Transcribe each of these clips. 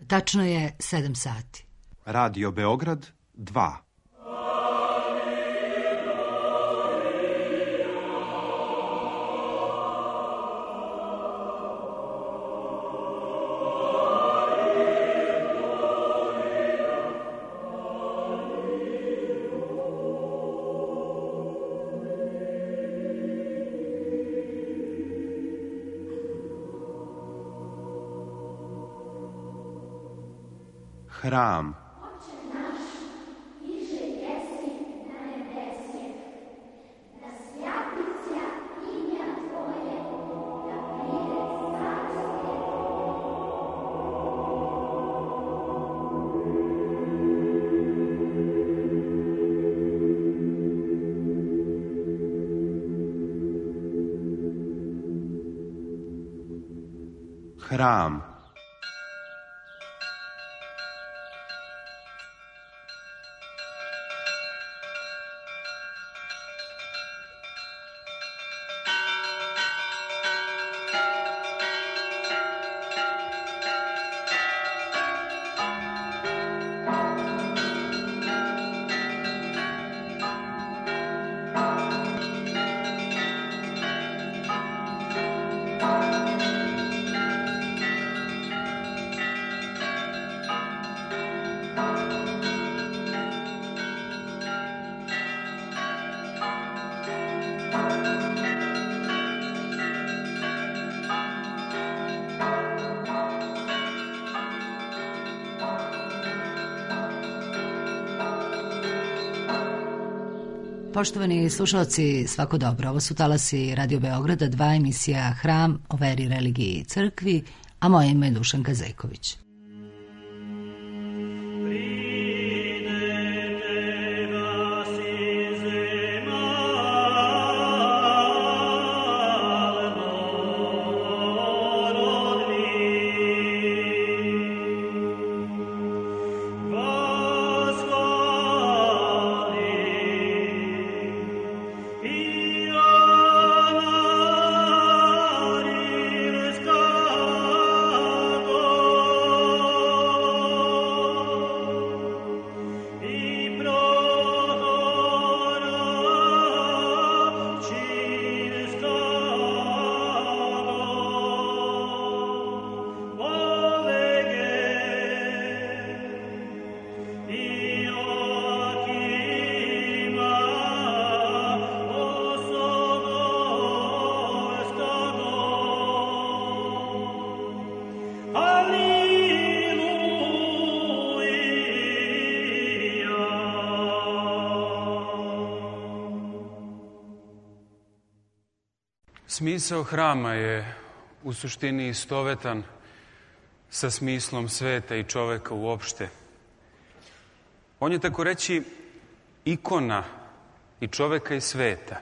Tačno je 7 sati. Radio Beograd 2. Hram. Hram. Poštovani slušalci, svako dobro. Ovo su talasi Radio Beograda 2, emisija Hram o veri, religiji i crkvi, a moje ime je Dušanka Zejković. Smisao hrama je u suštini istovetan sa smislom sveta i čoveka uopšte. On je, tako reći, ikona i čoveka i sveta.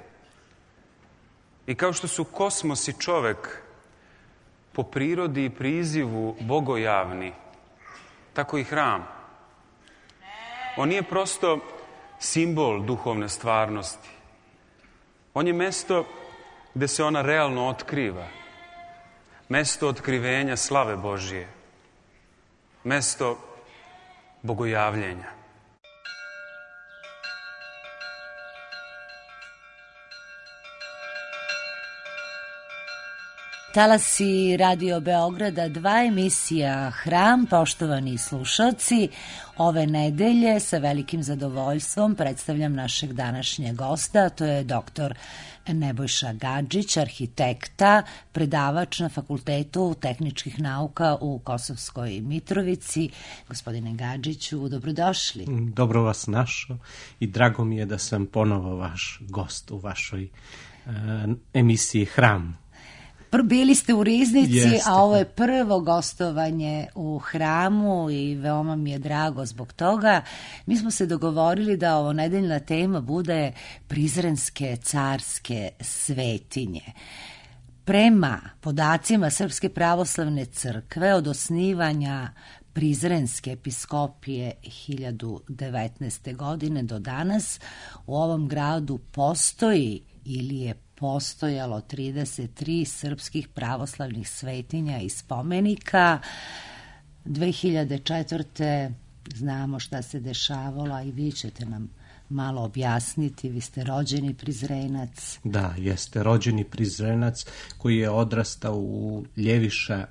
I kao što su kosmos i čovek po prirodi i prizivu bogojavni, tako i hram. On nije prosto simbol duhovne stvarnosti. On je mesto gde se ona realno otkriva. Mesto otkrivenja slave Božije. Mesto bogojavljenja. Talasi Radio Beograda 2, emisija Hram. Poštovani slušalci, ove nedelje sa velikim zadovoljstvom predstavljam našeg današnjeg gosta, to je doktor Nebojša Gadžić, arhitekta, predavač na Fakultetu tehničkih nauka u Kosovskoj Mitrovici. Gospodine Gadžiću, dobrodošli. Dobro vas našao i drago mi je da sam ponovo vaš gost u vašoj emisiji Hram. Bili ste u Riznici, Jeste. a ovo je prvo gostovanje u Hramu i veoma mi je drago zbog toga. Mi smo se dogovorili da ovo nedeljna tema bude Prizrenske carske svetinje. Prema podacima Srpske pravoslavne crkve od osnivanja Prizrenske episkopije 1019. godine do danas u ovom gradu postoji ili je postojalo 33 srpskih pravoslavnih svetinja i spomenika. 2004. znamo šta se dešavalo, a i vi ćete nam malo objasniti. Vi ste rođeni Prizrenac. Da, jeste rođeni Prizrenac koji je odrastao u Ljeviša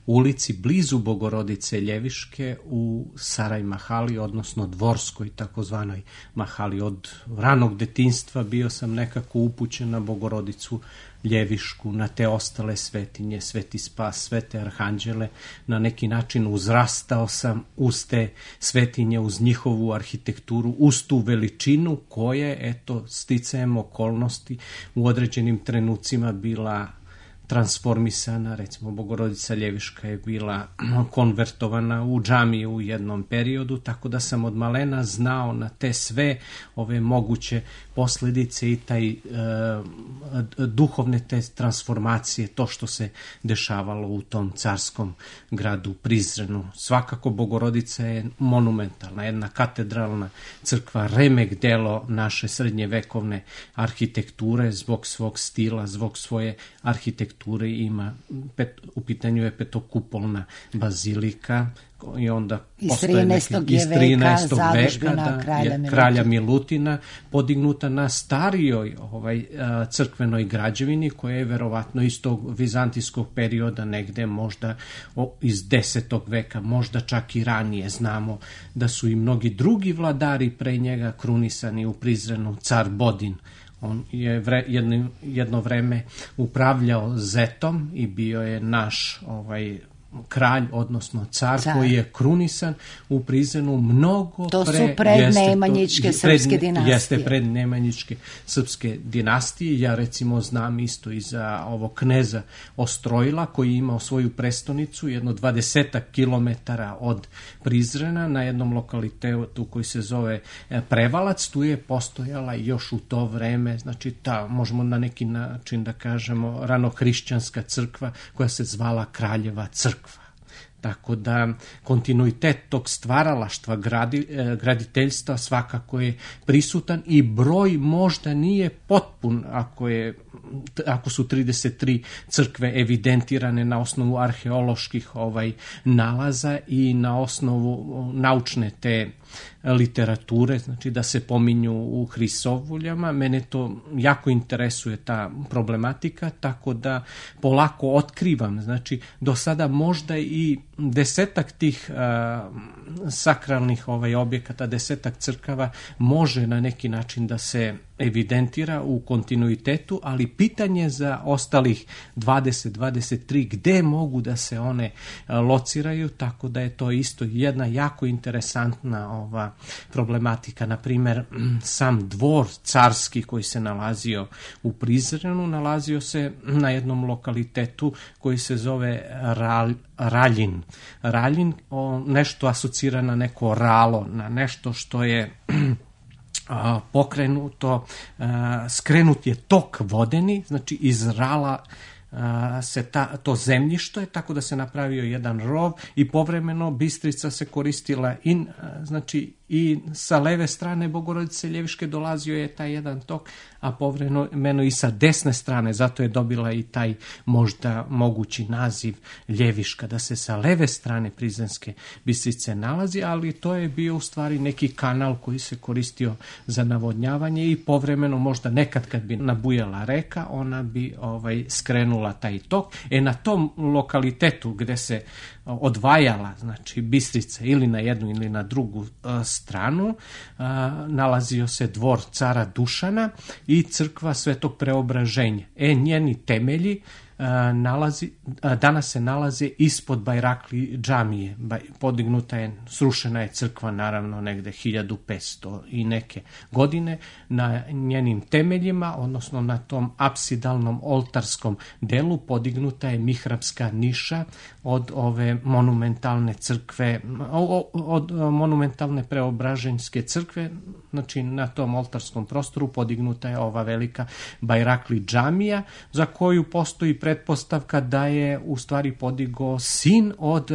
ulici blizu Bogorodice Ljeviške u Saraj Mahali, odnosno Dvorskoj takozvanoj Mahali. Od ranog detinjstva bio sam nekako upućen na Bogorodicu Ljevišku, na te ostale svetinje, Sveti Spas, Svete Arhanđele. Na neki način uzrastao sam uz te svetinje, uz njihovu arhitekturu, uz tu veličinu koje, eto, sticajem okolnosti u određenim trenucima bila transformisana. Recimo, Bogorodica Ljeviška je bila konvertovana u džamiju u jednom periodu, tako da sam od malena znao na te sve ove moguće posljedice i taj duhovne te transformacije, to što se dešavalo u tom carskom gradu Prizrenu. Svakako Bogorodica je monumentalna, jedna katedralna crkva, remek delo naše srednjevekovne arhitekture, zbog svog stila, zbog svoje arhitekture. U pitanju je petokupolna bazilika i onda iz 13. veka kralja Milutina, podignuta na starijoj crkvenoj građevini koja je verovatno iz tog vizantijskog perioda, negde možda iz 10. veka, možda čak i ranije. Znamo da su i mnogi drugi vladari pre njega krunisani u Prizrenu, car Bodin. On je jedno vreme upravljao Zetom i bio je naš kralj, odnosno car koji je krunisan u Prizrenu mnogo to su prednemanjičke srpske dinastije. Jeste prednemanjičke srpske dinastije. Ja recimo znam isto i za ovog kneza Ostrojila koji je imao svoju prestonicu jedno 20 kilometara od Prizrena na jednom lokalitetu koji se zove Prevalac. Tu je postojala još u to vreme, znači možemo na neki način da kažemo ranohrišćanska crkva koja se zvala Kraljeva crkva. Tako da kontinuitet tog stvaralaštva graditeljstva svakako je prisutan i broj možda nije potpun ako su 33 crkve evidentirane na osnovu arheoloških nalaza i na osnovu naučne te literature, znači da se pominju u Hrisovuljama. Mene to jako interesuje, ta problematika, tako da polako otkrivam. Znači, do sada možda i 10 tih sakralnih objekata, 10 crkava može na neki način da se evidentira u kontinuitetu, ali pitanje za ostalih 20-23 gde mogu da se one lociraju, tako da je to isto jedna jako interesantna problematika. Na primer, sam dvor carski koji se nalazio u Prizrenu nalazio se na jednom lokalitetu koji se zove Raljin. Raljin nešto asocira na neko ralo, na nešto što je pokrenuto, skrenut je tok vodeni, znači iz rala se to zemljište, tako da se napravio jedan rov i povremeno Bistrica se koristila i sa leve strane Bogorodice Ljeviške dolazio je taj jedan tok, a povremeno i sa desne strane, zato je dobila i taj možda mogući naziv Ljeviška, da se sa leve strane Prizrenske Bistrice nalazi, ali to je bio u stvari neki kanal koji se koristio za navodnjavanje i povremeno možda nekad kad bi nabujala reka, ona bi skrenula taj tok. Na tom lokalitetu gde se odvajala, znači Bistrica ili na jednu ili na drugu stranu, nalazio se dvor cara Dušana i crkva Svetog Preobraženja. Njeni temelji danas se nalaze ispod Bajrakli džamije. Podignuta je, srušena je crkva naravno negde 1500 i neke godine. Na njenim temeljima, odnosno na tom apsidalnom oltarskom delu, podignuta je mihrapska niša od ove monumentalne crkve, od monumentalne Preobraženjske crkve. Znači na tom oltarskom prostoru podignuta je ova velika Bajrakli džamija, za koju postoji pretpostavka da je u stvari podigao sin od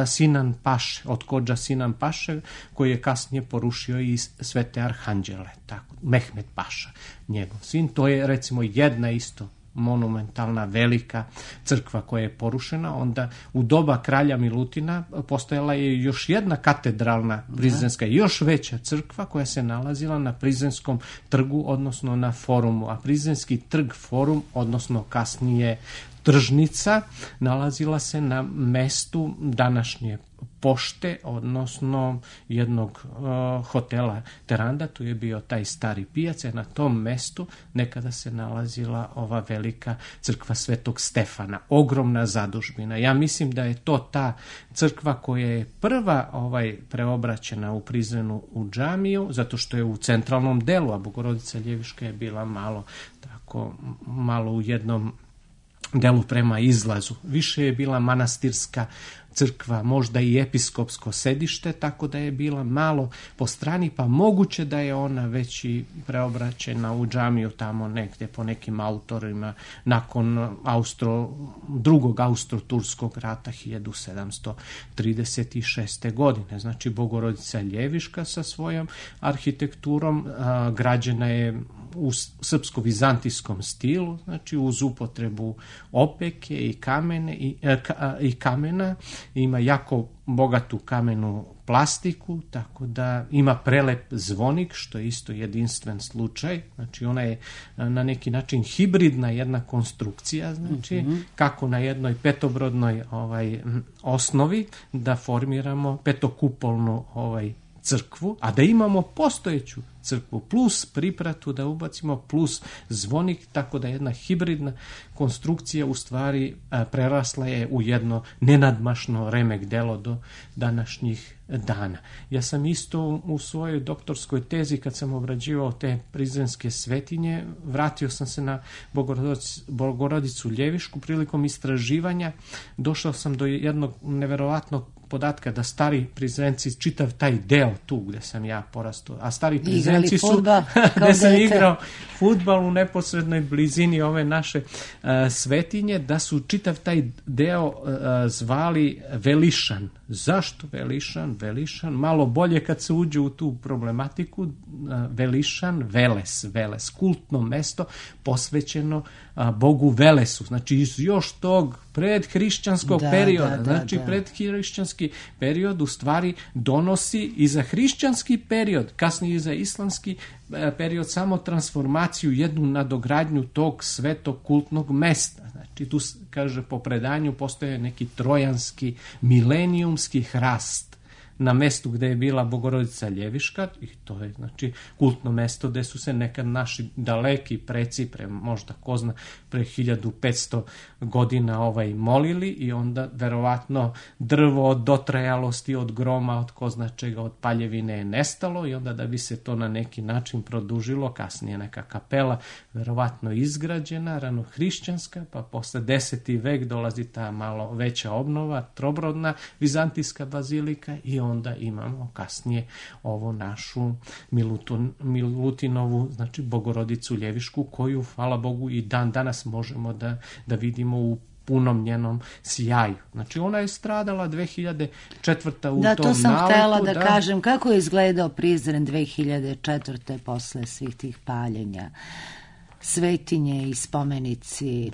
Sinan Paše, od Kodža Sinan Paše, koji je kasnije porušio i Svete Arhanđele, tako, Mehmed Paša, njegov sin. To je recimo jedna isto monumentalna, velika crkva koja je porušena. Onda u doba kralja Milutina postojala je još jedna katedralna prizrenska, još veća crkva koja se nalazila na Prizrenskom trgu, odnosno na forumu. A Prizrenski trg, forum, odnosno kasnije tržnica, nalazila se na mestu današnje pošte, odnosno jednog hotela Teranda. Tu je bio taj stari pijac, na tom mestu nekada se nalazila ova velika crkva Svetog Stefana, ogromna zadužbina. Ja mislim da je to ta crkva koja je prva preobraćena u Prizrenu u džamiju, zato što je u centralnom delu, a Bogorodica Ljeviška je bila malo u jednom delu prema izlazu. Više je bila manastirska crkva, možda i episkopsko sedište, tako da je bila malo po strani, pa moguće da je ona već i preobraćena u džamiju tamo negde po nekim autorima nakon drugog austro-turskog rata 1736. godine. Znači, Bogorodica Ljeviška sa svojom arhitekturom građena je u srpsko-vizantijskom stilu, znači uz upotrebu opeke i kamena, ima jako bogatu kamenu plastiku, tako da ima prelep zvonik, što je isto jedinstven slučaj. Znači, ona je na neki način hibridna jedna konstrukcija, znači kako na jednoj petobrodnoj osnovi da formiramo petokupolnu crkvu, a da imamo postojeću crkvu plus pripratu da ubacimo plus zvonik, tako da jedna hibridna konstrukcija u stvari prerasla je u jedno nenadmašno remek delo do današnjih dana. Ja sam isto u svojoj doktorskoj tezi, kad sam obrađivao te prizrenske svetinje, vratio sam se na Bogorodicu Ljevišku. Prilikom istraživanja došao sam do jednog neverovatnog podatka da stari Prizrenci, čitav taj deo tu gde sam ja porastao, a stari Prizrenci su gde sam igrao fudbal u neposrednoj blizini ove naše svetinje, da su čitav taj deo zvali Velišan. Zašto Velišan? Velišan, malo bolje kad se uđe u tu problematiku, Velišan, Veles, kultno mesto posvećeno Bogu Velesu, znači iz još tog predhrišćanskog perioda, znači predhrišćanski period u stvari donosi i za hrišćanski period, kasnije i za islamski period, samo transformaciju, jednu nadogradnju tog svetog kultnog mesta. Znači tu, kaže, po predanju postoje neki trojanski milenijumski hrast na mestu gde je bila Bogorodica Ljeviška, i to je znači kultno mesto gde su se nekad naši daleki preci, možda ko zna, pre 1500 godina molili, i onda verovatno drvo od dotrajalosti, od groma, od ko zna čega, od paljevine je nestalo, i onda da bi se to na neki način produžilo, kasnije neka kapela verovatno izgrađena, ranohrišćanska, pa posle 10. vek dolazi ta malo veća obnova, trobrodna vizantijska bazilika, i onda imamo kasnije ovo našu Milutinovu, znači Bogorodicu Ljevišku, koju, hvala Bogu, i dan danas možemo da vidimo u punom njenom sjaju. Znači, ona je stradala 2004. u tom naletu. To sam htjela da kažem. Kako je izgledao Prizren 2004. posle svih tih paljenja? Svetinje i spomenici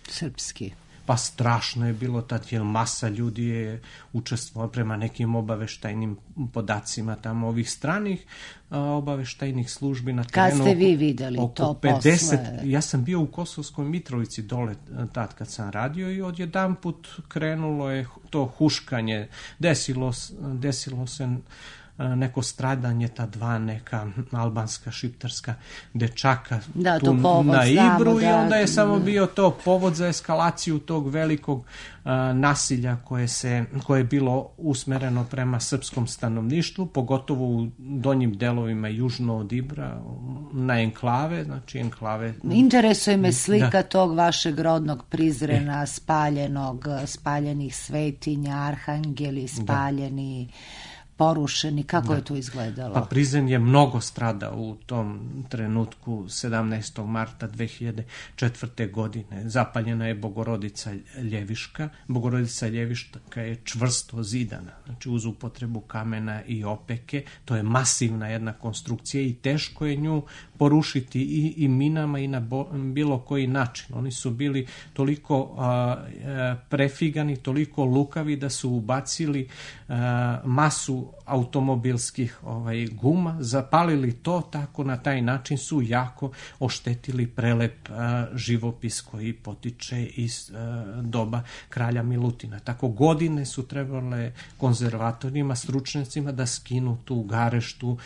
srpski. Pa strašno je bilo tad, jer masa ljudi je učestvovala prema nekim obaveštajnim podacima tamo ovih stranih obaveštajnih službi na terenu. Kad ste vi videli to 50, posle? Ja sam bio u Kosovskoj Mitrovici dole tad kad sam radio, i odjedanput krenulo je to huškanje. Desilo se neko stradanje, ta dva neka albanska, šiptarska dečaka tu na Ibru, i onda je samo bio to povod za eskalaciju tog velikog nasilja koje je bilo usmereno prema srpskom stanovništvu, pogotovo u donjim delovima južno od Ibra, na enklave, znači enklave. Interesuje me slika tog vašeg rodnog Prizrena, spaljenih svetinja, arhangeli spaljeni, porušeni. Kako je to izgledalo? Pa Prizren je mnogo stradao u tom trenutku. 17. marta 2004. godine zapaljena je Bogorodica Ljeviška. Bogorodica Ljeviška je čvrsto zidana, znači uz upotrebu kamena i opeke. To je masivna jedna konstrukcija i teško je nju porušiti i minama i na bilo koji način. Oni su bili toliko prefigani, toliko lukavi da su ubacili masu automobilskih guma, zapalili to, tako na taj način su jako oštetili prelep živopis koji potiče iz doba kralja Milutina. Tako godine su trebale konzervatorima, stručnjacima da skinu tu gareštu,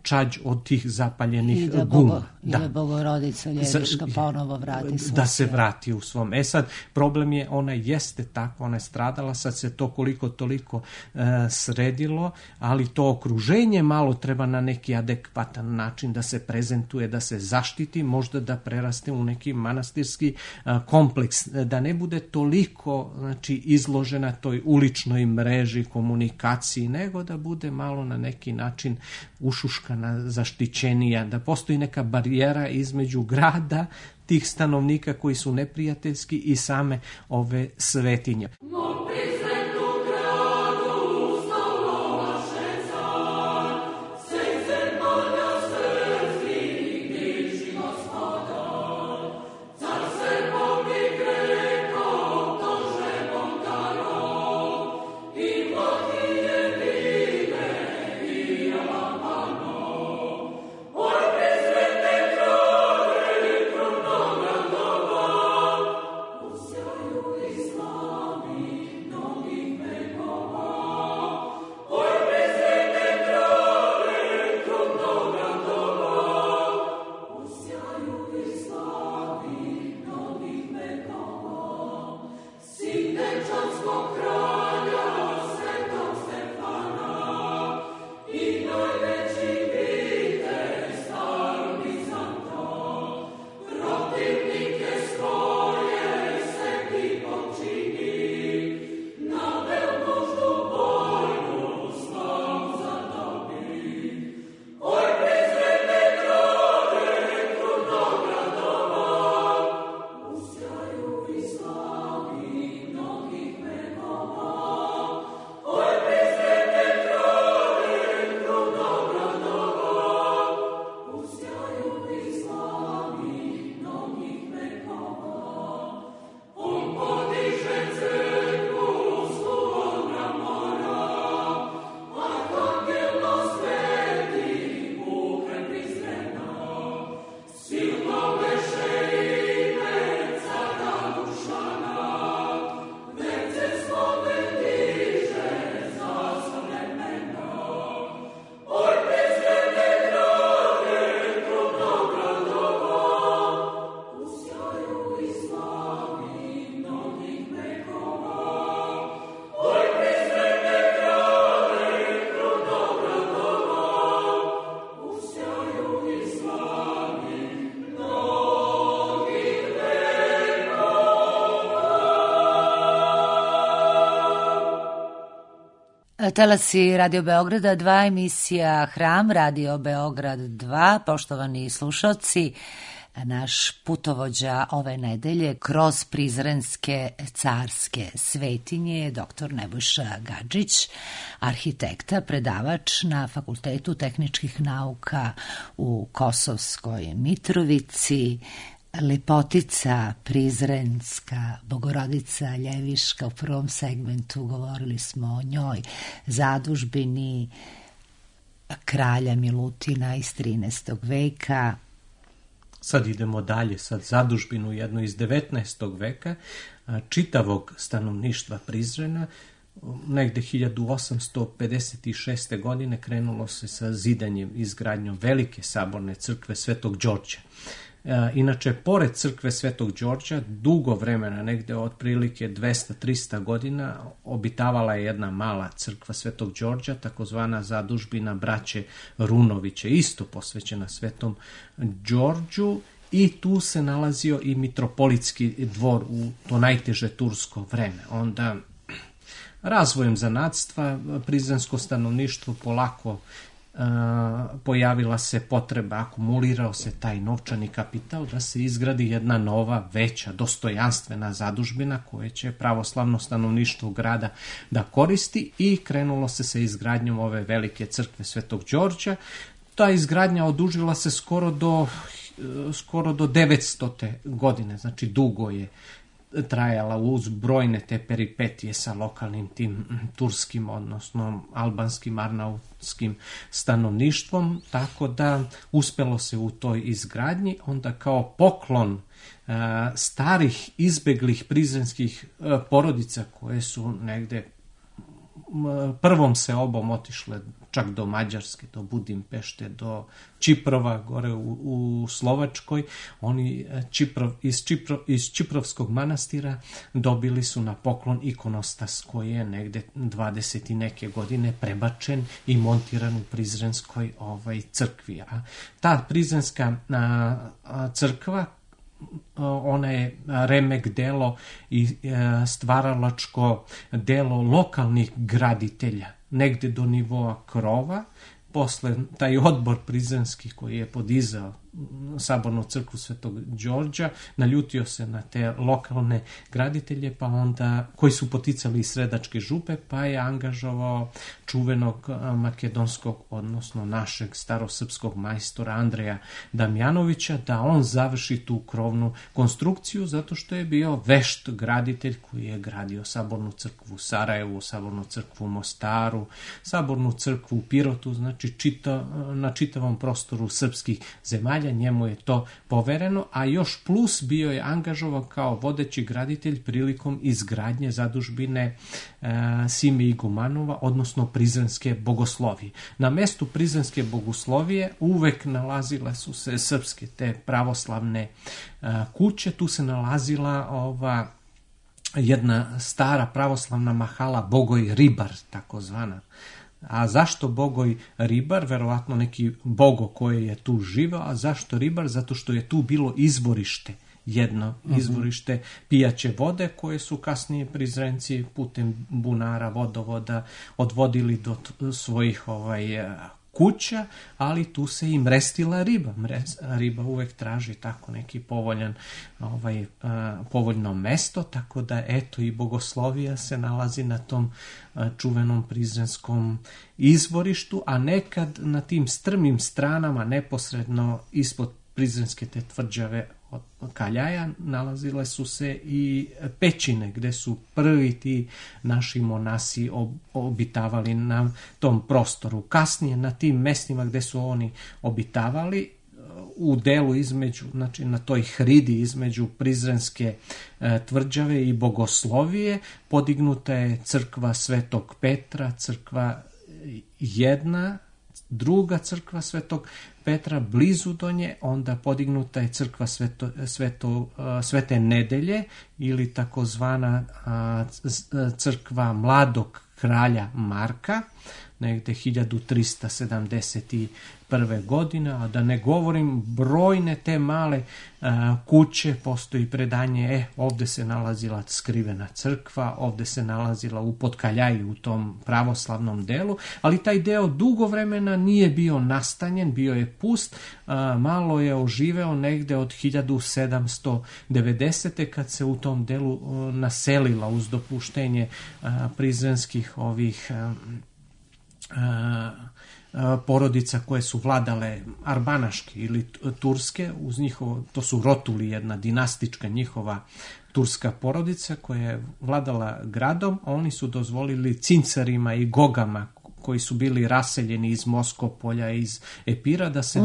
čađ od tih zapaljenih guma. I da Bogorodica Ljeviška ponovo vrati svoj. Da se vrati u svom. Sad, problem je, ona jeste tako, ona je stradala, sad se to koliko toliko sredilo, ali to okruženje malo treba na neki adekvatan način da se prezentuje, da se zaštiti, možda da preraste u neki manastirski kompleks, da ne bude toliko izložena toj uličnoj mreži, komunikaciji, nego da bude malo na neki način ušuškana, zaštićenija, da postoji neka barijera između grada, tih stanovnika koji su neprijateljski i same ove svetinje. Talasi Radio Beograda 2, emisija Hram, Radio Beograd 2. Poštovani slušalci, naš putovođa ove nedelje kroz prizrenske carske svetinje je dr. Nebojša Gadžić, arhitekta, predavač na Fakultetu tehničkih nauka u Kosovskoj Mitrovici, lepotica prizrenska, Bogorodica Ljeviška. U prvom segmentu govorili smo o njoj, zadužbini kralja Milutina iz 13. veka. Sad idemo dalje, sad zadužbinu jednu iz 19. veka, čitavog stanovništva Prizrena. Negde 1856. godine krenulo se sa zidanjem, izgradnjom velike saborne crkve Svetog Đorđa. Inače, pored crkve Svetog Đorđa, dugo vremena, negde otprilike 200-300 godina, obitavala je jedna mala crkva Svetog Đorđa, takozvana zadužbina braće Runoviće, isto posvećena Svetom Đorđu, i tu se nalazio i mitropolitski dvor u to najteže tursko vreme. Onda, razvojem zanatstva, prizrensko stanovništvo polako pojavila se potreba, akumulirao se taj novčani kapital da se izgradi jedna nova, veća, dostojanstvena zadužbina koje će pravoslavno stanovništvo grada da koristi, i krenulo se sa izgradnjom ove velike crkve Svetog Đorđa. ta izgradnja odužila se skoro do 900. godine, znači dugo je trajala uz brojne te peripetije sa lokalnim tim turskim, odnosno albanskim, arnautskim stanovništvom, tako da uspelo se u toj izgradnji. Onda kao poklon starih izbeglih prizrenskih porodica koje su negde prvom seobom otišle čak do Mađarske, do Budimpešte, do Čiprova, gore u Slovačkoj. Oni iz Čiprovskog manastira dobili su na poklon ikonostas koji je negde 20 i neke godine prebačen i montiran u Prizrenskoj crkvi. A ta Prizrenska crkva, ona je remek delo i stvaralačko delo lokalnih graditelja, negde do nivoa krova. Posle taj odbor prizrenski koji je podizao sabornu crkvu Svetog Đorđa naljutio se na te lokalne graditelje, pa onda koji su poticali iz Sredačke župe, pa je angažovao čuvenog makedonskog, odnosno našeg starosrpskog majstora Andreja Damjanovića da on završi tu krovnu konstrukciju, zato što je bio vešt graditelj koji je gradio sabornu crkvu u Sarajevu, sabornu crkvu u Mostaru, sabornu crkvu u Pirotu, znači na čitavom prostoru srpskih zemalja. Njemu je to povereno, a još plus bio je angažovan kao vodeći graditelj prilikom izgradnje zadužbine Sime Igumanova, odnosno Prizrenske bogoslovije. Na mestu Prizrenske bogoslovije uvek nalazile su se srpske te pravoslavne kuće. Tu se nalazila jedna stara pravoslavna mahala Bogoj Ribar, takozvana. A zašto Bogoj Ribar? Verovatno neki bogo koji je tu živeo. A zašto Ribar? Zato što je tu bilo izvorište, jedno izvorište pijaće vode koje su kasnije Prizrenci putem bunara, vodovoda odvodili do svojih kuća, ali tu se i mrestila riba. Riba uvek traži tako neki povoljno mesto, tako da eto i bogoslovija se nalazi na tom čuvenom prizrenskom izvorištu, a nekad na tim strmim stranama neposredno ispod Prizrenske te tvrđave od Kaljaja nalazile su se i pećine gde su prvi ti naši monasi obitavali na tom prostoru. Kasnije na tim mestima gde su oni obitavali, u delu između, znači na toj hridi između Prizrenske tvrđave i bogoslovije podignuta je crkva Svetog Petra, crkva jedna, druga crkva Svetog Petra blizu do nje, onda podignuta je crkva Svete Nedelje ili takozvana crkva Mladog kralja Marka, negde 1371. godine, a da ne govorim brojne te male kuće, postoji predanje, ovde se nalazila skrivena crkva, ovde se nalazila u Potkaljaji u tom pravoslavnom delu, ali taj deo dugo vremena nije bio nastanjen, bio je pust, malo je oživeo negde od 1790. kad se u tom delu naselila uz dopuštenje prizrenskih porodica koje su vladale arbanaške ili turske, uz njihovo, to su Rotuli, jedna dinastička njihova turska porodica koja je vladala gradom, a oni su dozvolili cincarima i gogama koji su bili raseljeni iz Moskopolja, iz Epira, da se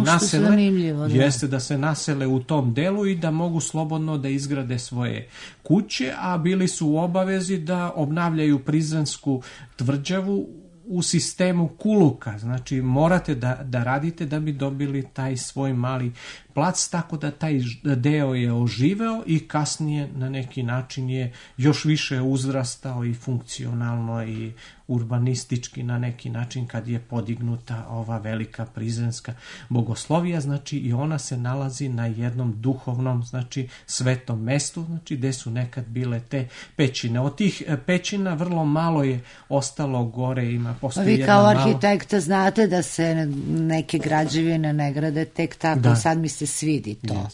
da se nasele u tom delu i da mogu slobodno da izgrade svoje kuće, a bili su u obavezi da obnavljaju Prizrensku tvrđavu u sistemu kuluka, znači morate da radite da bi dobili taj svoj mali plac, tako da taj deo je oživeo i kasnije na neki način je još više uzrastao i funkcionalno i urbanistički na neki način kad je podignuta ova velika prizrenska bogoslovija, znači i ona se nalazi na jednom duhovnom, znači svetom mestu, znači gde su nekad bile te pećine. Od tih pećina vrlo malo je ostalo gore, postoji vi kao arhitekta znate da se neke građevine ne grade tek tako, sad mi se svidi to.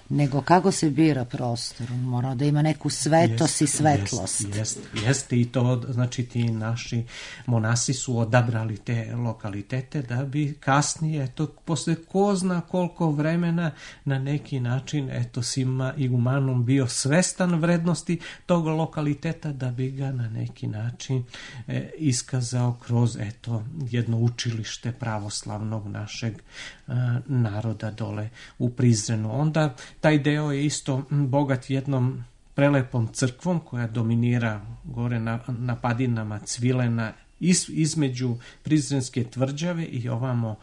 nego kako se bira prostor. Mora da ima neku svetost i svetlost. Jeste i to, znači ti naši monasi su odabrali te lokalitete da bi kasnije, posle ko zna koliko vremena, na neki način, Sima Igumanum bio svestan vrednosti tog lokaliteta da bi ga na neki način iskazao kroz jedno učilište pravoslavnog našeg naroda dole u Prizrenu. Onda taj deo je isto bogat jednom prelepom crkvom koja dominira gore na padinama Cvilena između Prizrenske tvrđave i ovamo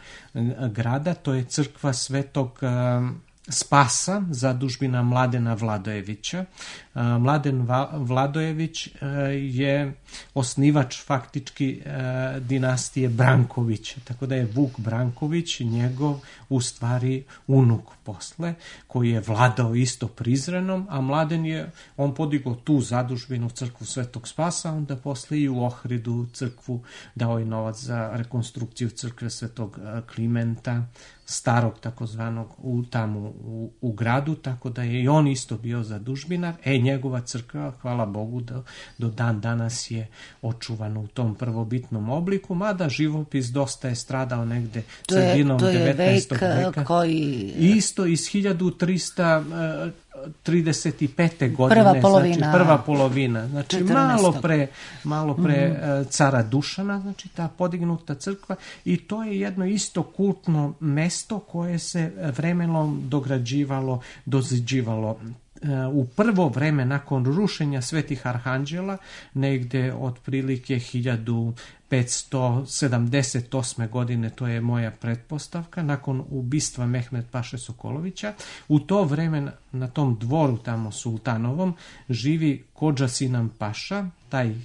grada. To je crkva Svetog Spasa, zadužbina Mladena Vladojevića. Mladen Vladojević je osnivač faktički dinastije Branković, tako da je Vuk Branković njegov u stvari unuk posle, koji je vladao isto Prizrenom, a Mladen on podigao tu zadužbinu crkvu Svetog Spasa, onda posle i u Ohridu crkvu dao je novac za rekonstrukciju crkve Svetog Klimenta, starog takozvanog tamo u gradu, tako da je i on isto bio zadužbinar. Njegova crkva, hvala Bogu, do dan danas je očuvana u tom prvobitnom obliku, mada živopis dosta je stradao negde sredinom 19. veka. Koji... Isto iz 1335. godine, prva polovina, znači malo pre cara Dušana, znači ta podignuta crkva, i to je jedno isto kultno mesto koje se vremenom dograđivalo, doziđivalo. U prvo vreme nakon rušenja Svetih Arhanđela, negde otprilike 1578. godine, to je moja pretpostavka, nakon ubistva Mehmed Paše Sokolovića, u to vreme na tom dvoru tamo sultanovom živi Kodža Sinan Paša, taj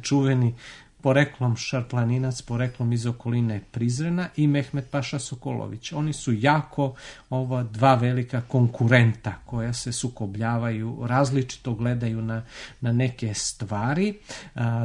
čuveni poreklom šarplaninac, poreklom iz okoline Prizrena, i Mehmed Paša Sokolović. Oni su jako ova dva velika konkurenta koja se sukobljavaju, različito gledaju na neke stvari,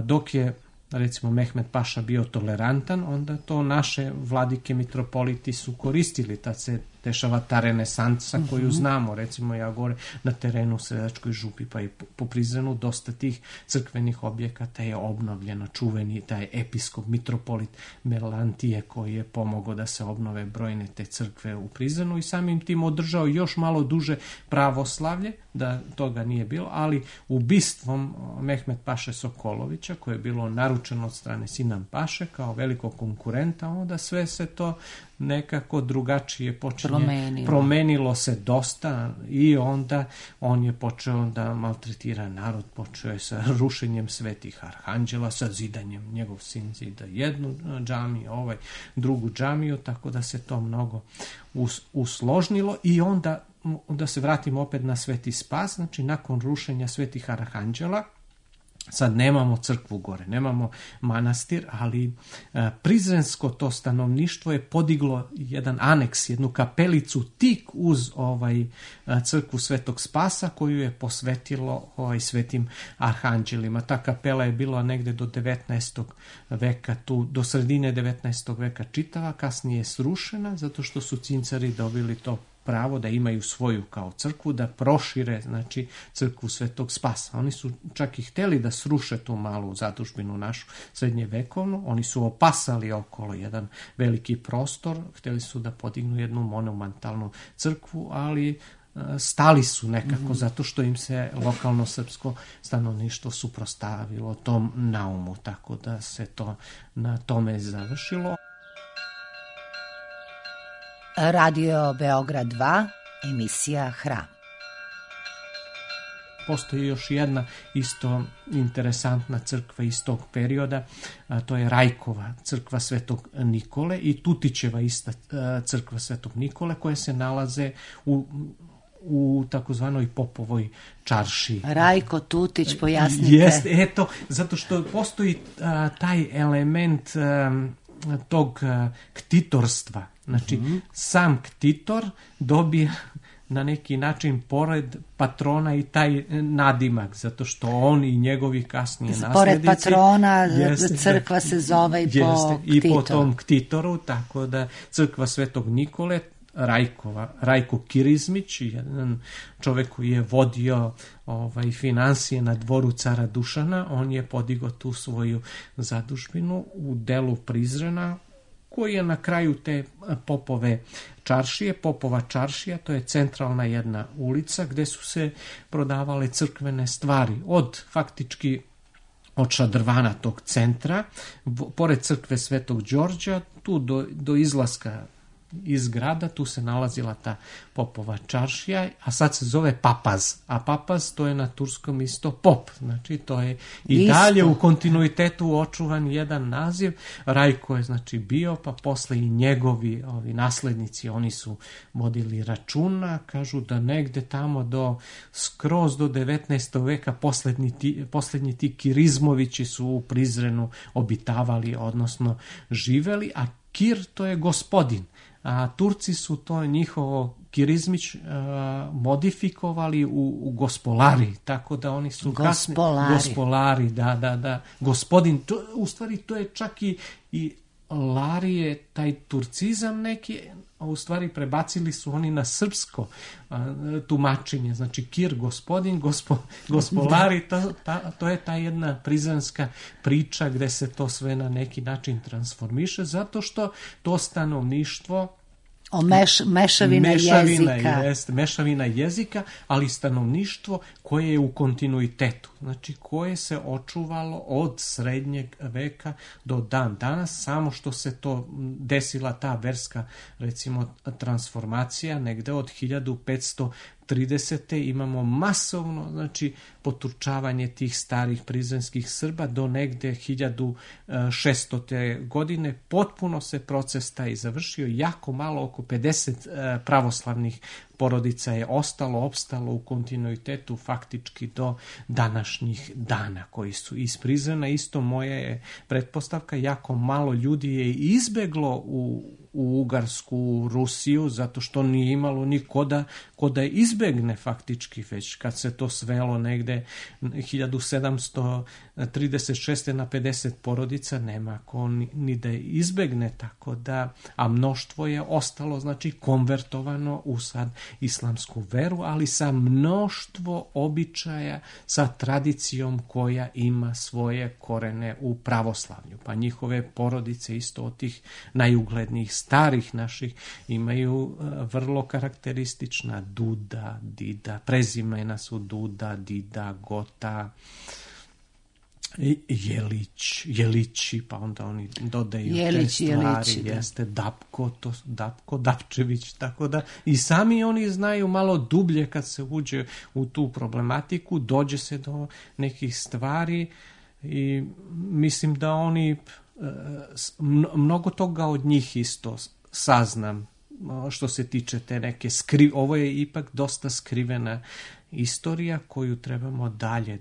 dok je recimo Mehmed Paša bio tolerantan, onda to naše vladike mitropoliti su koristili, tad se dešava ta renesansa koju znamo, recimo ja gore na terenu u Sredačkoj župi pa i po Prizrenu dosta tih crkvenih objekata je obnovljeno. Čuveni taj episkop mitropolit Melantije koji je pomogao da se obnove brojne te crkve u Prizrenu i samim tim održao još malo duže pravoslavlje, da toga nije bilo, ali ubistvom Mehmed Paše Sokolovića, koje je bilo naručeno od strane Sinan Paše kao velikog konkurenta, onda sve se to nekako drugačije promenilo se dosta i onda on je počeo da maltretira narod, počeo je sa rušenjem Svetih Arhanđela, sa zidanjem, njegov sin zida jednu džamiju, drugu džamiju, tako da se to mnogo usložnilo. I onda da se vratimo opet na Sveti Spas, znači nakon rušenja Svetih Arhanđela, sad nemamo crkvu gore, nemamo manastir, ali prizrensko to stanovništvo je podiglo jedan aneks, jednu kapelicu tik uz crkvu Svetog Spasa koju je posvetilo svetim arhanđelima. Ta kapela je bila negde do 19. veka, tu do sredine 19. veka čitava, kasnije je srušena zato što su cincari dobili to pravo da imaju svoju kao crkvu, da prošire, znači, crkvu Svetog Spasa. Oni su čak i hteli da sruše tu malu zadužbinu našu srednjevekovnu, oni su opasali okolo jedan veliki prostor, hteli su da podignu jednu monumentalnu crkvu, ali stali su nekako zato što im se lokalno srpsko stanovništvo suprotstavilo tom naumu, tako da se to na tome završilo. Radio Beograd 2, emisija Hram. Postoji još jedna isto interesantna crkva iz tog perioda, a to je Rajkova crkva Svetog Nikole i Tutićeva ista crkva Svetog Nikole, koje se nalaze u takozvanoj Popovoj čaršiji. Rajko, Tutić, pojasnite. Jeste, eto, zato što postoji taj element tog ktitorstva. Znači, sam ktitor dobije na neki način pored patrona i taj nadimak, zato što on i njegovi kasnije nasljednici... Pored patrona crkva se zove i po ktitoru. I po tom ktitoru, tako da crkva Svetog Nikole Rajko Kirizmić, jedan čovjek koji je vodio financije na dvoru cara Dušana. On je podigao tu svoju zadužbinu u delu Prizrena, koji je na kraju te Popova čaršija, to je centralna jedna ulica gdje su se prodavale crkvene stvari, od šadrvana tog centra, pored crkve Svetog Đorđa, tu do izlaska iz grada, tu se nalazila ta Popova čaršija, a sad se zove Papaz. A Papaz, to je na turskom isto pop. Znači, to je i dalje u kontinuitetu očuvan jedan naziv. Rajko je, znači, bio, pa posle i njegovi naslednici, oni su vodili računa. Kažu da negde tamo skroz do 19. veka poslednji ti Kirizmovići su u Prizrenu obitavali, odnosno živeli, a Kir to je gospodin. A Turci su to njihovo Kirizmić modifikovali u Gospolari, tako da oni su Gospolari, da. Gospodin, u stvari to je čak i Larije, taj turcizam neki, a u stvari prebacili su oni na srpsko tumačenje. Znači Kir, gospodin, Gospolari, to je ta jedna prizrenska priča gde se to sve na neki način transformiše, zato što to stanovništvo mešavina jezika, ali stanovništvo koje je u kontinuitetu, znači koje se očuvalo od srednjeg veka do dan danas, samo što se to desila ta verska, recimo, transformacija negde od 1530. imamo masovno, znači, poturčavanje tih starih prizrenskih Srba do negde 1600. godine. Potpuno se proces taj završio, jako malo, oko 50 pravoslavnih porodica je opstalo u kontinuitetu faktički do današnjih dana, koji su iz Prizrena. Isto moja je pretpostavka, jako malo ljudi je izbeglo u Ugarsku, Rusiju, zato što nije imalo nikoda ko da izbegne faktički, već kad se to svelo negde 1736. na 50 porodica, nema ko ni da izbegne, tako da, a mnoštvo je ostalo, znači, konvertovano u sad islamsku veru, ali sa mnoštvo običaja, sa tradicijom koja ima svoje korene u pravoslavlju. Pa njihove porodice, isto od tih najuglednijih starih naših, imaju vrlo karakteristična Duda, Dida, prezimena su Duda, Dida, Gota, Jelići, pa onda oni dodaju te stvari, jeste Dapko, Dapčević, tako da i sami oni znaju malo dublje kad se uđe u tu problematiku, dođe se do nekih stvari i mislim da oni mnogo toga od njih isto saznam što se tiče te neke ovo je ipak dosta skrivena istorija koju trebamo dalje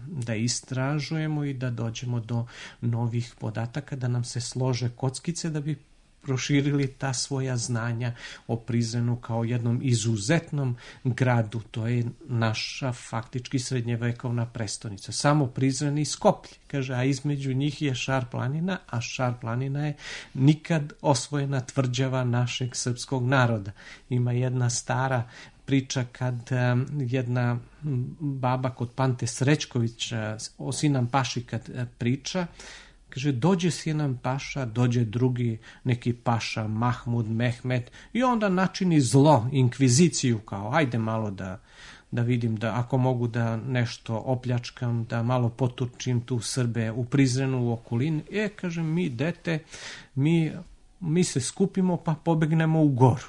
da istražujemo i da dođemo do novih podataka, da nam se slože kockice da bi proširili ta svoja znanja o Prizrenu kao jednom izuzetnom gradu. To je naša faktički srednjevekovna prestonica. Samo Prizren i Skoplje, kaže, a između njih je Šar planina, a Šar planina je nikad osvojena tvrđava našeg srpskog naroda. Ima jedna stara priča kad jedna baba kod Pante Srećkovića o Sinan Paši kad priča, kaže, dođe Sinan Paša, dođe drugi neki paša, Mahmud, Mehmet, i onda načini zlo, inkviziciju, kao, ajde malo da vidim da ako mogu da nešto opljačkam, da malo poturčim tu Srbe u Prizrenu, u okolini. Kaže, mi, dete, mi se skupimo pa pobegnemo u goru.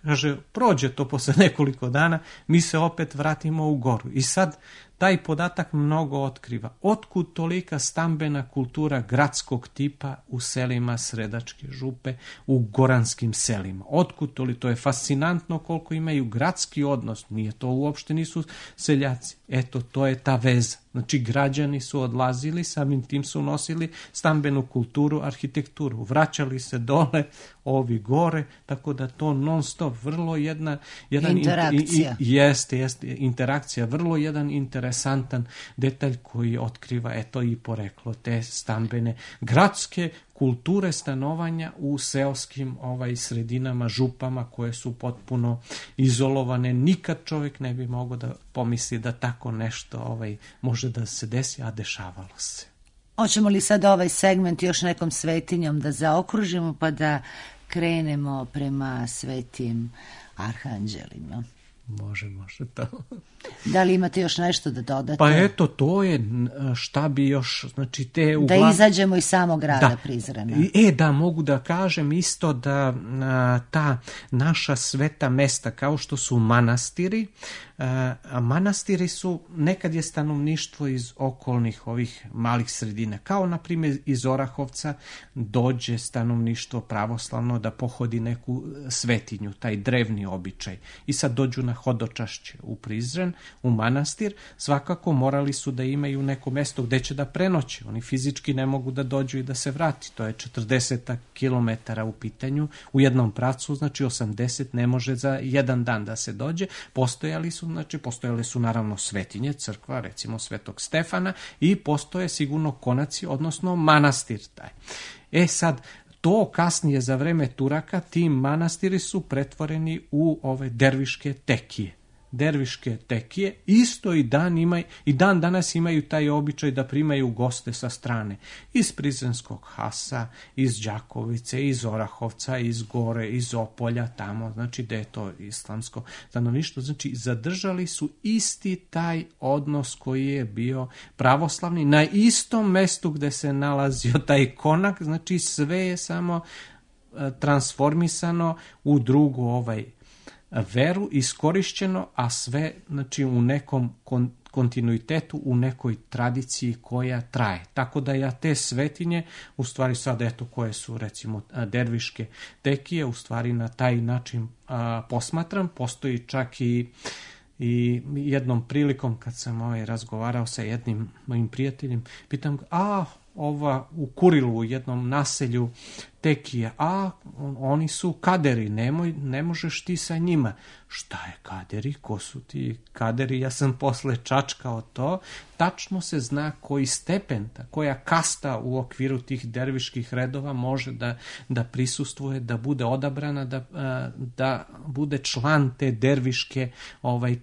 Kaže, prođe to posle nekoliko dana, mi se opet vratimo u goru. I sad taj podatak mnogo otkriva. Otkud tolika stambena kultura gradskog tipa u selima Sredačke župe, u goranskim selima? Otkud to je fascinantno koliko imaju gradski odnos. Nije to uopšte, nisu seljaci. Eto, to je ta veza. Znači, građani su odlazili, samim tim su nosili stambenu kulturu, arhitekturu. Vraćali se dole, ovi gore, tako da to non stop, vrlo jedna interakcija. Jeste interakcija, vrlo jedan interesantan detalj koji otkriva, eto, i poreklo te stambene gradske kulture stanovanja u seoskim sredinama, župama koje su potpuno izolovane. Nikad čovjek ne bi mogao da pomisli da tako nešto može da se desi, a dešavalo se. Hoćemo li sad ovaj segment još nekom svetinjom da zaokružimo pa da krenemo prema svetim arhanđelima? Može to. Da li imate još nešto da dodate? Pa eto, to je šta bi još, znači te... Da izađemo iz samog grada Prizrena. Da, mogu da kažem isto da ta naša sveta mesta, kao što su manastiri, manastiri su, nekad je stanovništvo iz okolnih ovih malih sredina, kao na primjer iz Orahovca dođe stanovništvo pravoslavno da pohodi neku svetinju, taj drevni običaj, i sad dođu na hodočašće u Prizren, u manastir. Svakako morali su da imaju neko mesto gde će da prenoće. Oni fizički ne mogu da dođu i da se vrati. To je 40 kilometara u pitanju u jednom pravcu, znači 80 ne može za jedan dan da se dođe. Postojale su naravno svetinje, crkva, recimo Svetog Stefana, i postoje sigurno konaci, odnosno manastir taj. Sad, to kasnije za vreme Turaka, ti manastiri su pretvoreni u ove derviške tekije. Derviške tekije isto i dan danas imaju taj običaj da primaju goste sa strane. Iz Prizrenskog Hasa, iz Đakovice, iz Orahovca, iz Gore, iz Opolja, tamo, znači da je to islamsko stanovništvo. Znači zadržali su isti taj odnos koji je bio pravoslavni na istom mestu gde se nalazio taj konak, znači sve je samo transformisano u drugu veru, iskorišćeno, a sve znači u nekom kontinuitetu, u nekoj tradiciji koja traje. Tako da ja te svetinje, u stvari sad eto koje su recimo derviške tekije, u stvari na taj način posmatram. Postoji čak i jednom prilikom kad sam razgovarao sa jednim mojim prijateljem, pitam ga, u Kurilu, u jednom naselju tekije, oni su kaderi, ne možeš ti sa njima. Šta je kaderi? Ko su ti kaderi? Ja sam posle čačkao to. Tačno se zna koji stepen, koja kasta u okviru tih derviških redova može da prisustvuje, da bude odabrana, da bude član te derviške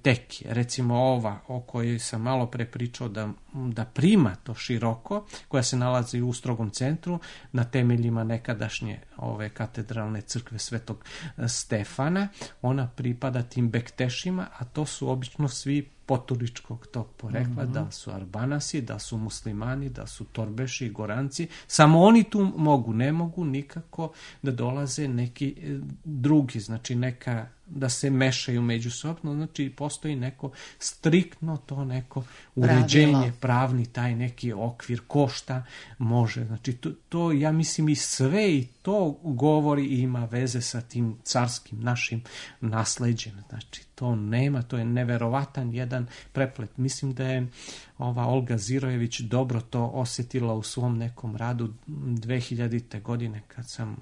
tekije. Recimo ova o kojoj sam malo pre pričao da prima to široko, koja se nalazi u Strogom centru, na temeljima nekadašnje ove katedralne crkve Svetog Stefana. Ona pripada tim bektešima, a to su obično svi poturičkog tog porekla, da su Arbanasi, da su muslimani, da su Torbeši, Goranci. Samo oni tu ne mogu nikako da dolaze neki drugi, znači da se mešaju međusobno, znači postoji neko striktno to neko uređenje, pravni taj neki okvir, ko šta može. Znači to ja mislim i sve i to govori i ima veze sa tim carskim našim nasleđem. Znači to nema, to je neverovatan jedan preplet. Mislim da je ova Olga Zirojević dobro to osjetila u svom nekom radu 2000. godine kad sam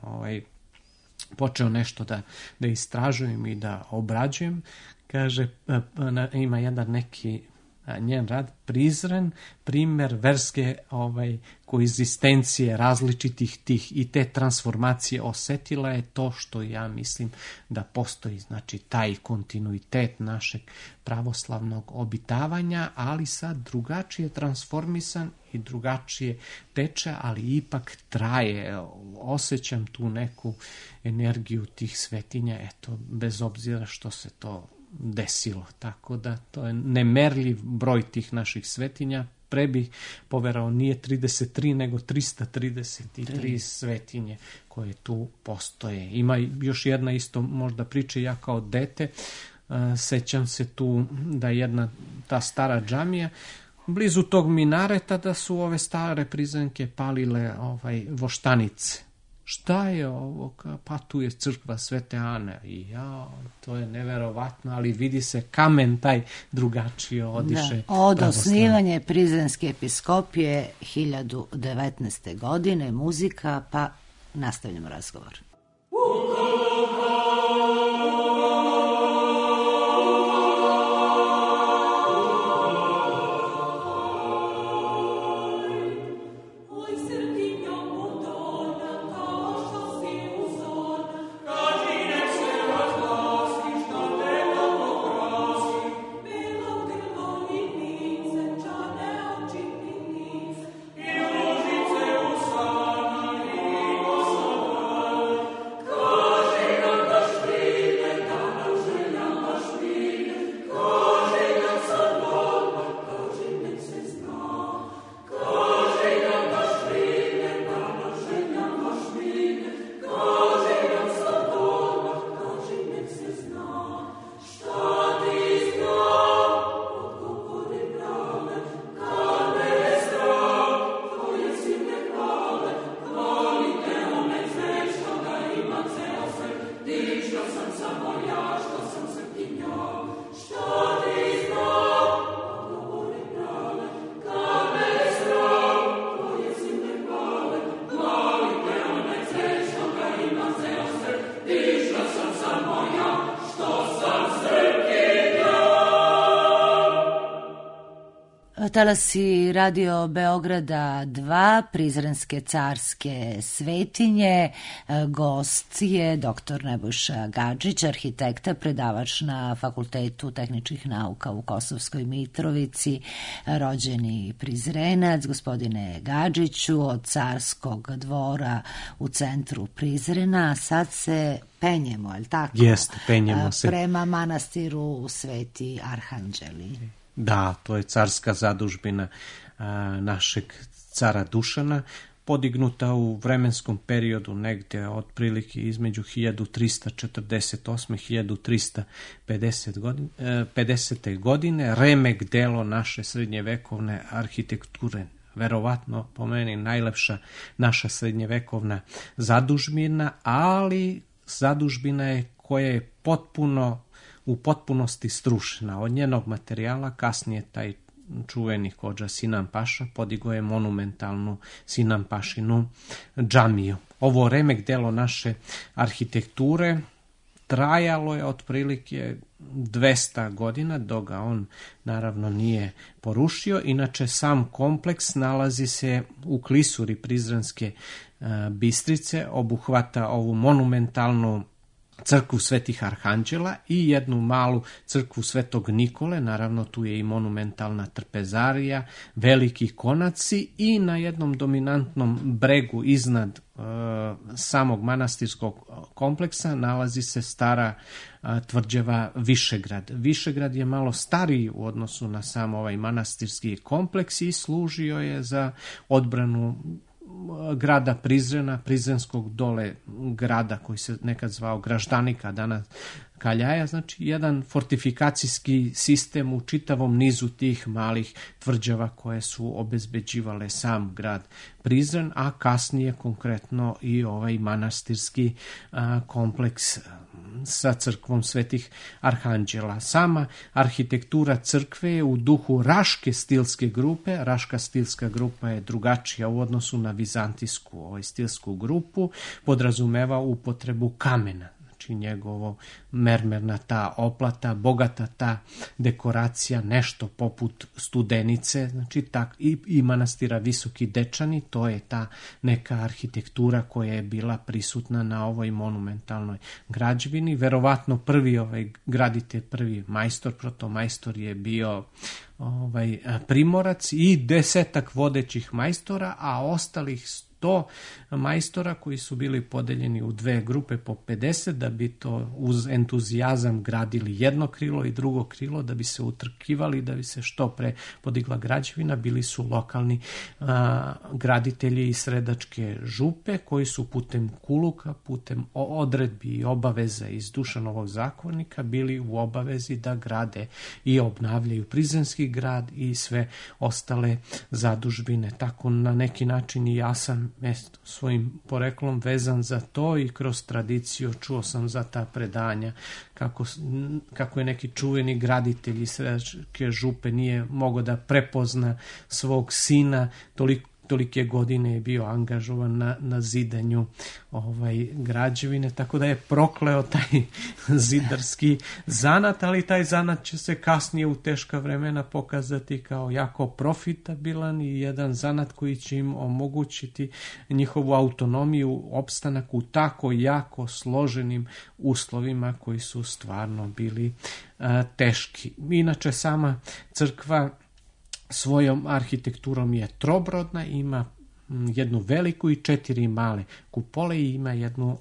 počeo nešto da istražujem i da obrađujem. Kaže, ima jedan neki njen rad, Prizren, primjer verske koegzistencije različitih tih i te transformacije. Osetila je to što ja mislim da postoji, znači taj kontinuitet našeg pravoslavnog obitavanja, ali sad drugačije transformisan i drugačije teče, ali ipak traje. Osjećam tu neku energiju tih svetinja, eto, bez obzira što se to desilo. Tako da to je nemerljiv broj tih naših svetinja. Pre bih poverao, nije 33 nego 333 svetinje koje tu postoje. Ima još jedna isto možda priča, ja kao dete sećam se tu da jedna ta stara džamija blizu tog minareta da su ove stare Prizrenke palile voštanice. Šta je ovo? Pa tu je crkva Svete Ane. I to je neverovatno, ali vidi se kamen taj drugačije odiše. Od osnivanja Prizrenske episkopije 1019. godine, muzika, pa nastavljamo razgovor. talasi Radio Beograda 2, Prizrenske carske svetinje. Gost je dr. Nebojša Gadžić, arhitekta, predavač na Fakultetu tehničkih nauka u Kosovskoj Mitrovici, rođeni Prizrenac. Gospodine Gadžiću, od Carskog dvora u centru Prizrena, sad se penjemo, je li tako? Jeste, penjemo se. Prema manastiru Sveti Arhanđeli. Da, to je carska zadužbina našeg cara Dušana, podignuta u vremenskom periodu negde otprilike između 1348. 1350. godine, remek delo naše srednjevekovne arhitekture. Verovatno, po meni, najlepša naša srednjevekovna zadužbina, ali zadužbina je koja je u potpunosti strušena. Od njenog materijala kasnije taj čuveni kodža Sinan Paša podigao je monumentalnu Sinan Pašinu džamiju. Ovo remek delo naše arhitekture trajalo je otprilike 200 godina, dok ga on naravno nije porušio. Inače, sam kompleks nalazi se u klisuri Prizrenske Bistrice, obuhvata ovu monumentalnu crkvu Svetih Arhanđela i jednu malu crkvu Svetog Nikole, naravno tu je i monumentalna trpezarija, veliki konaci i na jednom dominantnom bregu iznad samog manastirskog kompleksa nalazi se stara tvrđava Višegrad. Višegrad je malo stariji u odnosu na sam ovaj manastirski kompleks i služio je za odbranu grada Prizrena, Prizrenskog dole grada koji se nekad zvao Graždanika, danas Kaljaja, znači jedan fortifikacijski sistem u čitavom nizu tih malih tvrđava koje su obezbeđivale sam grad Prizren, a kasnije konkretno i ovaj manastirski kompleks sa crkvom Svetih Arhanđela. Sama arhitektura crkve je u duhu Raške stilske grupe. Raška stilska grupa je drugačija u odnosu na vizantijsku stilsku grupu, podrazumeva upotrebu kamena. Znači njegovo mermerna ta oplata, bogata ta dekoracija, nešto poput Studenice, znači i manastira Visoki Dečani, to je ta neka arhitektura koja je bila prisutna na ovoj monumentalnoj građevini. Verovatno prvi graditelj, prvi majstor, protomajstor je bio Primorac i 10 vodećih majstora, a ostalih 100 majstora koji su bili podeljeni u 2 grupe po 50 da bi to uz entuzijazam gradili jedno krilo i drugo krilo, da bi se utrkivali, da bi se što pre podigla građevina. Bili su lokalni graditelji iz Sredačke župe koji su putem kuluka, putem odredbi i obaveza iz Dušanovog zakonika bili u obavezi da grade i obnavljaju Prizrenski grad i sve ostale zadužbine. Tako na neki način i ja sam svojim poreklom vezan za to i kroz tradiciju čuo sam za ta predanja kako je neki čuveni graditelj iz Sredačke župe nije mogao da prepozna svog sina, tolike godine je bio angažovan na zidanju građevine, tako da je prokleo taj zidarski zanat, ali taj zanat će se kasnije u teška vremena pokazati kao jako profitabilan i jedan zanat koji će im omogućiti njihovu autonomiju, opstanak u tako jako složenim uslovima koji su stvarno bili teški. Inače, sama crkva svojom arhitekturom je trobrodna, ima jednu veliku i 4 male kupole i ima jednu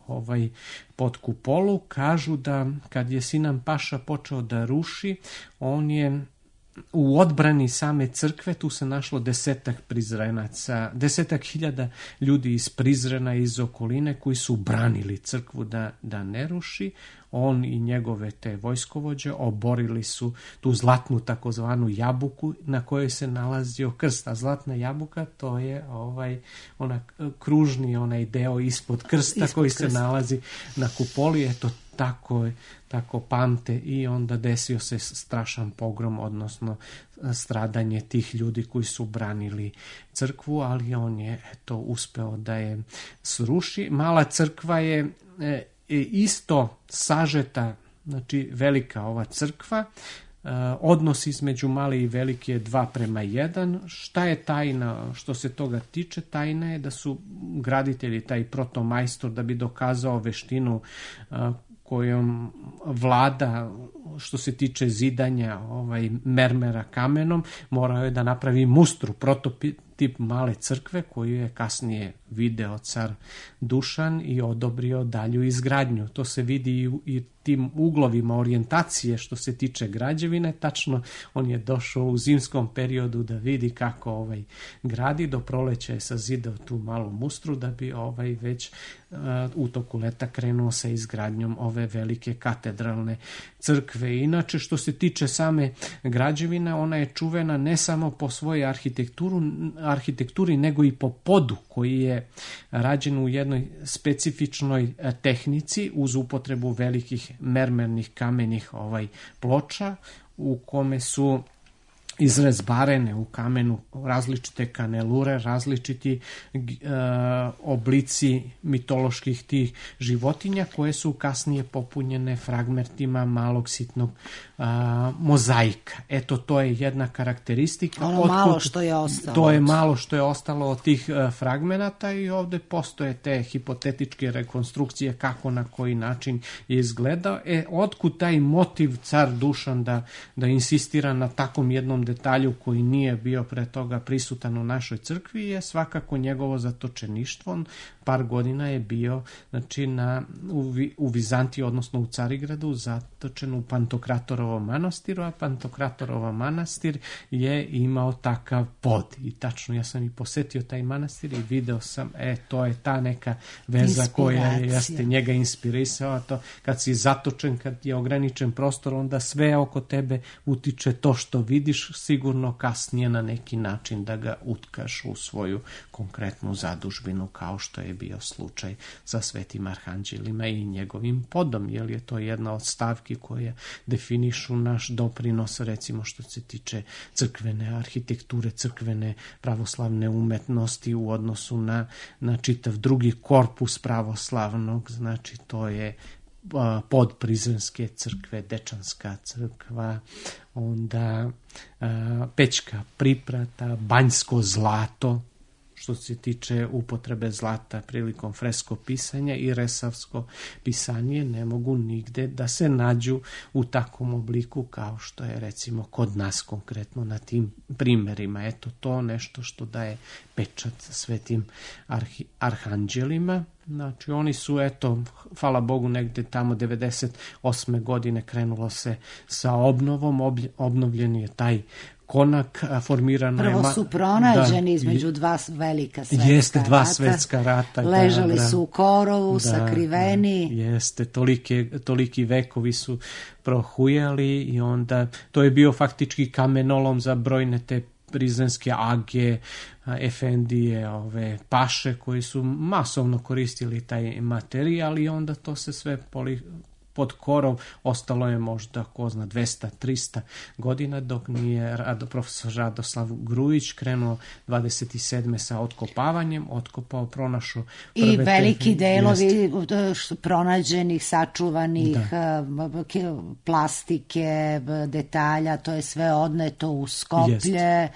podkupolu. Kažu da kad je Sinan Paša počeo da ruši, on je u odbrani same crkve, tu se našlo 10 Prizrenaca, 10.000 ljudi iz Prizrena, iz okoline koji su branili crkvu da ne ruši. On i njegove te vojskovođe oborili su tu zlatnu takozvanu jabuku na kojoj se nalazio krst. A zlatna jabuka to je kružni onaj deo ispod krsta koji se nalazi na kupoli. Eto, tako pamte i onda desio se strašan pogrom, odnosno stradanje tih ljudi koji su branili crkvu, ali on je uspeo da je sruši. Mala crkva je isto sažeta, znači velika ova crkva, odnos između male i velike je 2:1. Šta je tajna što se toga tiče? Tajna je da su graditelji, taj protomajstor, da bi dokazao veštinu kojom vlada što se tiče zidanja mermera kamenom, morao je da napravi mustru, prototip male crkve koju je kasnije video car Dušan i odobrio dalju izgradnju. To se vidi i tim uglovima orijentacije što se tiče građevine. Tačno on je došao u zimskom periodu da vidi kako gradi. Do proleća je sazidao tu malu mustru da bi već u toku leta krenuo sa izgradnjom ove velike katedralne crkve. Inače, što se tiče same građevine, ona je čuvena ne samo po svojoj arhitekturi, nego i po podu koji je rađen u jednoj specifičnoj tehnici uz upotrebu velikih mermernih kamenih ploča u kome su izrezbarene u kamenu različite kanelure, različiti oblici mitoloških tih životinja koje su kasnije popunjene fragmentima malog sitnog mozaika. Eto, to je jedna karakteristika. Malo što je ostalo. To je malo što je ostalo od tih fragmenata i ovde postoje te hipotetičke rekonstrukcije kako na koji način je izgledao. Otkud taj motiv car Dušan da insistira na takvom jednom detalju koji nije bio pre toga prisutan u našoj crkvi je svakako njegovo zatočeništvo. On par godina je bio u Vizantiji, odnosno u Carigradu, zatočen u Pantokratorovom manastiru, a Pantokratorova manastir je imao takav pod. I tačno, ja sam i posetio taj manastir i video sam, to je ta neka veza koja jeste njega inspirisala. To, kad si zatočen, kad je ograničen prostor, onda sve oko tebe utiče to što vidiš, sigurno kasnije na neki način da ga utkaš u svoju konkretnu zadužbinu, kao što je bio slučaj sa Svetim Arhanđelima i njegovim podom, jer je to jedna od stavki koje definišu naš doprinos, recimo što se tiče crkvene arhitekture, crkvene pravoslavne umetnosti u odnosu na čitav drugi korpus pravoslavnog. Znači, to je pod Prizrenske crkve, Dečanska crkva, onda Pećka priprata, Banjsko zlato, što se tiče upotrebe zlata prilikom fresko pisanja, i resavsko pisanje ne mogu nigde da se nađu u takvom obliku kao što je recimo kod nas konkretno na tim primerima. Eto, to nešto što daje pečat svetim arhanđelima. Znači, oni su, hvala Bogu, negde tamo 98. godine krenulo se sa obnovom, obnovljen je taj konak, formirano je... Prvo su pronađeni između dva velika svetska rata. Jeste, dva svetska rata. Ležali su u korovu, sakriveni. Jeste, toliki vekovi su prohujali i onda to je bio faktički kamenolom za brojne te prizrenske age, efendije, paše koji su masovno koristili taj materijal i onda to se sve pod korov ostalo je možda, ko zna, 200-300 godina, dok nije profesor Radoslav Grujić krenuo 27. sa otkopavanjem, otkopao, pronašao prve... I veliki delovi pronađenih, sačuvanih plastike, detalja, to je sve odneto u Skoplje.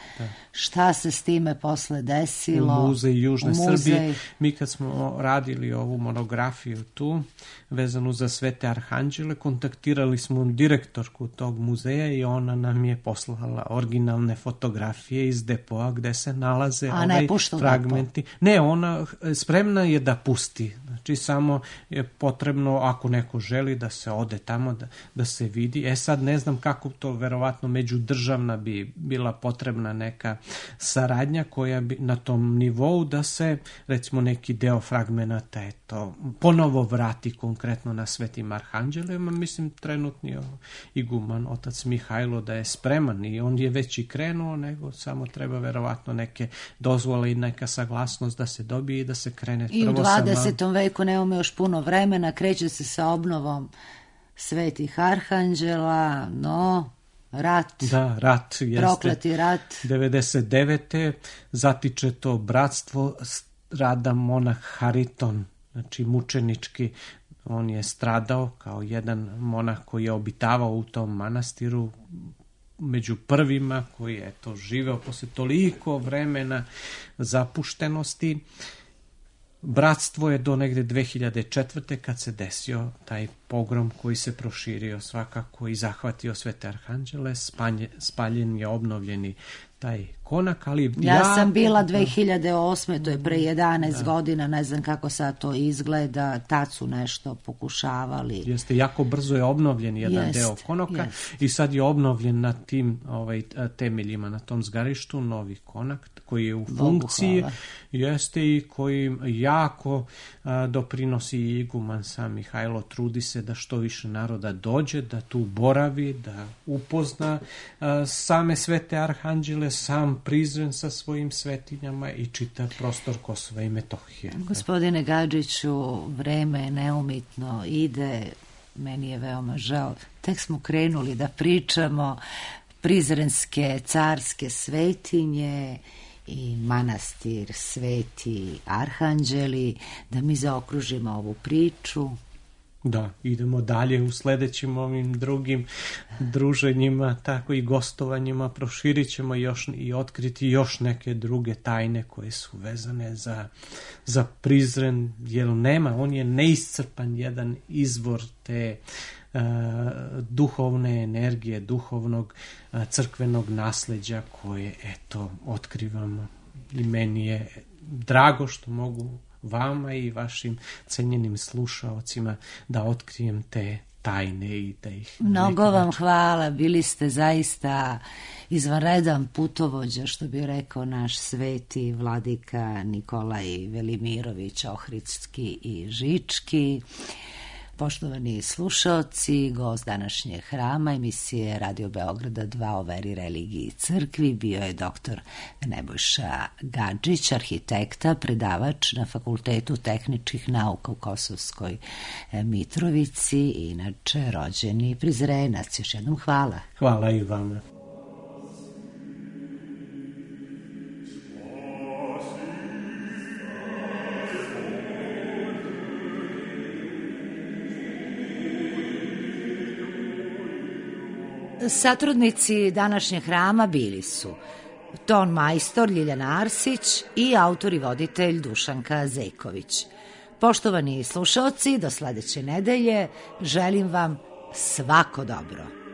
Šta se s time posle desilo? U muzej Južne Srbije. Mi kad smo radili ovu monografiju tu, vezanu za Svete Arhanđele, kontaktirali smo direktorku tog muzeja i ona nam je poslala originalne fotografije iz depoa gde se nalaze fragmenti. Ne, ona spremna je da pusti. Znači, samo je potrebno, ako neko želi, da se ode tamo, da se vidi. Sad ne znam kako to, verovatno međudržavna bi bila potrebna neka saradnja koja bi na tom nivou da se, recimo, neki deo fragmenata ponovo vrati konkretno na Svetim Arhanđelima. Mislim, trenutni iguman, otac Mihajlo, da je spreman i on je već i krenuo, nego samo treba verovatno neke dozvole i neka saglasnost da se dobije i da se krene. I u 20. veku nemamo još puno vremena, kreće se sa obnovom Svetih Arhanđela, rat. Da, rat jeste. Prokleti rat. 99. zatiče to bratstvo rada monah Hariton, znači mučenički On je stradao kao jedan monah koji je obitavao u tom manastiru, među prvima koji je živeo posle toliko vremena zapuštenosti. Bratstvo je do negde 2004. kad se desio taj pogrom koji se proširio svakako i zahvatio Svete Arhanđele, spaljen je obnovljeni taj konak, ali ja sam bila 2008. to je pre 11 godina, ne znam kako sad to izgleda, tad su nešto pokušavali. Jeste, jako brzo je obnovljen jedan deo konoka i sad je obnovljen na tim temeljima, na tom zgarištu, novi konak koji je u funkciji, jeste i koji jako doprinosi iguman sam Mihajlo, trudi se da što više naroda dođe, da tu boravi, da upozna same Svete Arhanđele, sam Prizren sa svojim svetinjama i čitav prostor Kosova i Metohije. Gospodine Gadžiću, vreme neumitno ide, meni je veoma žao. Tek smo krenuli da pričamo prizrenske carske svetinje i manastir Sveti Arhanđeli, da mi zaokružimo ovu priču. Da, idemo dalje u sledećim ovim drugim druženjima, tako i gostovanjima, proširit ćemo još i otkriti još neke druge tajne koje su vezane za Prizren, jer on je neiscrpan jedan izvor te duhovne energije, duhovnog crkvenog nasleđa koje, otkrivamo. I meni je drago što mogu vama i vašim cenjenim slušaocima da otkrijem te tajne i da ih... Mnogo vam hvala, bili ste zaista izvanredan putovođa, što bi rekao naš sveti vladika Nikolaj Velimirović Ohridski i Žički. Poštovani slušaoci, gost današnjeg hrama emisije Radio Beograda 2 o veri, religiji i crkvi bio je dr. Nebojša Gadžić, arhitekta, predavač na Fakultetu tehničkih nauka u Kosovskoj Mitrovici, inače rođeni Prizrenac. Još jednom hvala. Hvala i vama. Satrudnici današnjeg hrama bili su ton majstor Ljiljana Arsić i autor i voditelj Dušanka Zejković. Poštovani slušaoci, do sledeće nedelje želim vam svako dobro.